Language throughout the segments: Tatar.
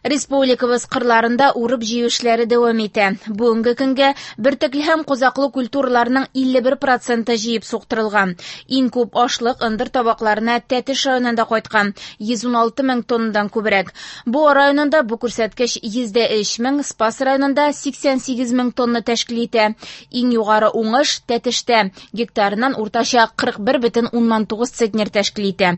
Республикабыз кырларында урып-җыю эшләре дәвам итә. Бүгенге көнгә бөртекле һәм кузаклы культураларның 51 проценты җыеп суктырылган. Иң күп ашлык ындыр табакларына Тәтеш районында кайткан, 116 мең тоннадан күбрәк. Буа районында бу күрсәткеч 103 мең, Спас районында 88 мең тонна тәшкил итә. Иң югары уңыш Тәтештә, гектарыннан уртача 41,9 центнер тәшкил итә.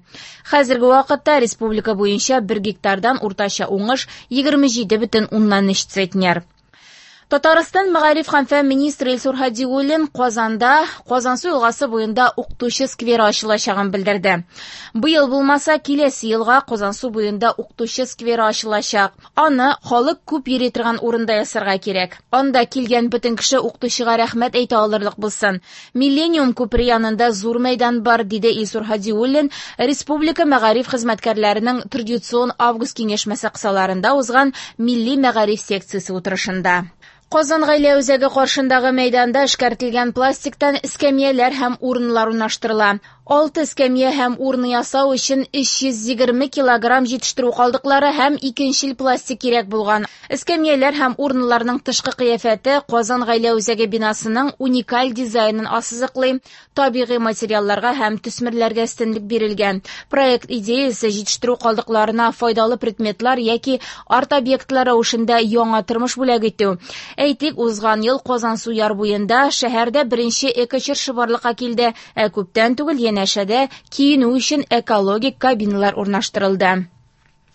Хәзерге вакытта республика буенча бер гектардан уртача уңыш 27,3 центнер. Татарстан мәгариф һәм фән министры Илсур Һадиуллин Казанда Казансу елгасы буенда укытучы скверы ачылачагын белдерде. Быел булмаса, киләсе елга Казансу буенда укытучы скверы ачылачак. Аны халык күп йөри торган урында ясарга кирәк. Анда килгән бөтен кеше укытучыга рәхмәт әйтә алырлык булсын. Миллениум күпере янында зур мәйдан бар, диде Илсур Һадиуллин республика мәгариф хезмәткәрләренең традицион август киңәшмәсе кысаларында узган милли мәгариф секциясе утырышында. Казан гаилә үзәге каршындагы мәйданда эшкәртелгән пластиктан эскәмияләр һәм урыннар урнаштырыла. Алты эскәмия һәм урны ясау өчен 320 килограмм җитештерү калдыклары һәм икенчел пластик кирәк булган. Эскәмияләр һәм урыннарның тышкы кыяфәте Казан гаилә үзәге бинасының уникаль дизайнын ассызыклый. Табигый материалларга һәм төсмерләргә өстенлек бирелгән. Проект идеясе җитештерү калдыкларына файдалы предметлар яки арт-объектлар рәвешендә яңа тормыш бүләк итү. Әйтик, узган ел Казансу яр буенда шәһәрдә беренче эко-чыршы барлыкка килде, ә күптән түгел янәшәдә киенү өчен экологик кабиналар урнаштырылды.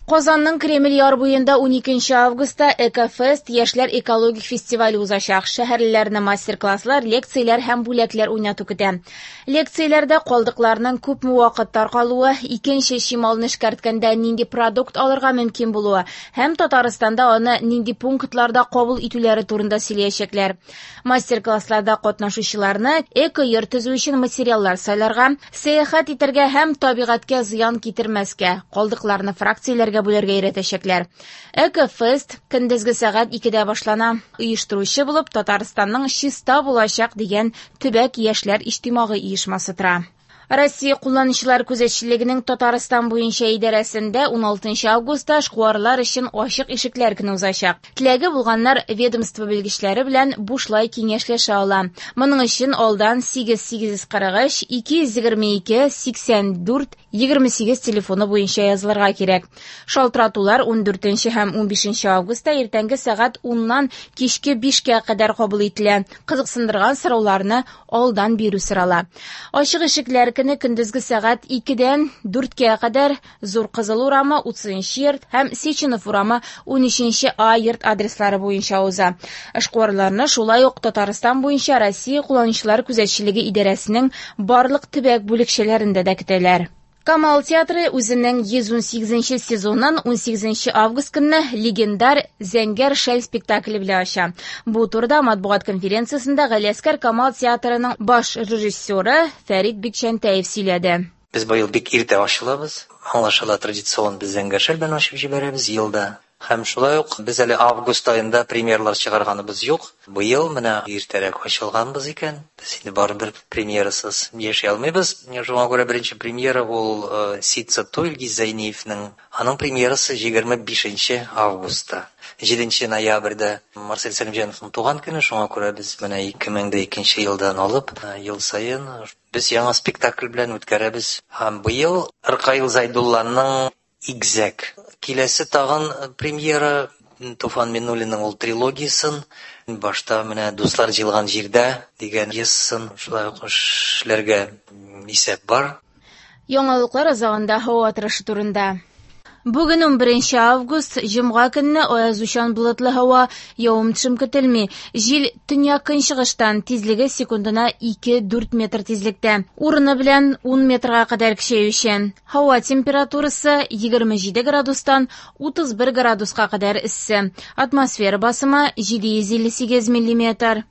Казанның Кремль яр буенда 12 августта Экофест яшьләр экологик фестивале узачак. Шәһәрлеләрне мастер-класслар, лекцияләр һәм бүләкләр уйнату көтә. Лекцияләрдә калдыкларның күпме вакыт таркалуы, икенче чималны эшкәрткәндә нинди продукт алырга мөмкин булуы һәм Татарстанда аны нинди пунктларда кабул итүләре турында сөйләячәкләр. Мастер-классларда катнашучыларны эко-йорт төзү өчен материаллар сайларга, сәяхәт итәргә һәм табигатькә зыян китермәскә, калдыкларны фракцияләргә бүләргә өйрәтәчәкләр. Экофест көндезге сәгать 2-дә башлана. Оештыручы булып Татарстанның чиста булачак дигән төбәк яшьләр иҗтимагый оешмасы тора. Россия кулланучылар күзәтчелегенең Татарстан буенча идарәсендә 16 августта эшкуарлар өчен ачык ишекләр көне узачак. Теләге булганнар ведомство белгечләре белән бушлай киңәшләшә ала. Моның өчен алдан 8843 222 84 28 телефоны буенча язылырга кирәк. Шалтыратулар 14 һәм 15 августта иртәнге сәгать 10-нан кичке 5-кә кадәр кабул ителә. Кызыксындырган сорауларны алдан бирү сорала. Ачык ишекләр көне көндезге сәгать 2-дән 4-кә кадәр Зур Кызыл урамы 30 йорт һәм Сеченов урамы 13 А йорт адреслары буенча уза. Эшкуарларны шулай ук Татарстан буенча Россия кулланучылар күзәтчелеге идарәсенең барлык төбәк бүлекчәләрендә дә көтәләр. Камал театры үзенең 118 сезонын 18 август көнне легендар Зәңгәр шәл спектакле белән ача. Бу турыда матбугат конференциясендә Галиәсгар Камал театрының баш режиссеры Фәрит Бикчәнтәев сөйләде. Без быел бик иртә ачылабыз. Аңлашыла, традицион без Зәңгәр шәл белән ачып җибәрәбез елда. Һәм шулай ук без әле август аенда премьералар чыгарганыбыз юк. Быел менә иртәрәк ачылганбыз икән. Без инде барыбер премьерасыз яши алмыйбыз. Шуңа күрә беренче премьера ул Ситса туй Илгиз Зәйниевнең. Аның премьерасы 25 августта. 7 ноябрьдә Марсель Сәлимҗановның туган көне. Шуңа күрә без менә 2002 елдан алып ел саен без яңа спектакль белән үткәрәбез. Һәм быел Ркаил Зайдулланың Игзәк. Киләсе тагын премьера Туфан Миннуллинның ул трилогиясын. Башта менә Дуслар җыелган җирдә дигән пьесасын шулай ук эшләргә исәп бар. Яңалыклар азагында һава торышы турында. Бүген 11 август, җомга көнне аязучан болытлы һава, явым-төшем көтелми. Җил төньяк-көнчыгыштан, тизлеге секундына 2-4 метр тизлектә. Урыны белән 10 метрга кадәр көчәючән. Һава температурасы 27 градустан 31 градуска кадәр эссе. Атмосфера басымы 758 миллиметр.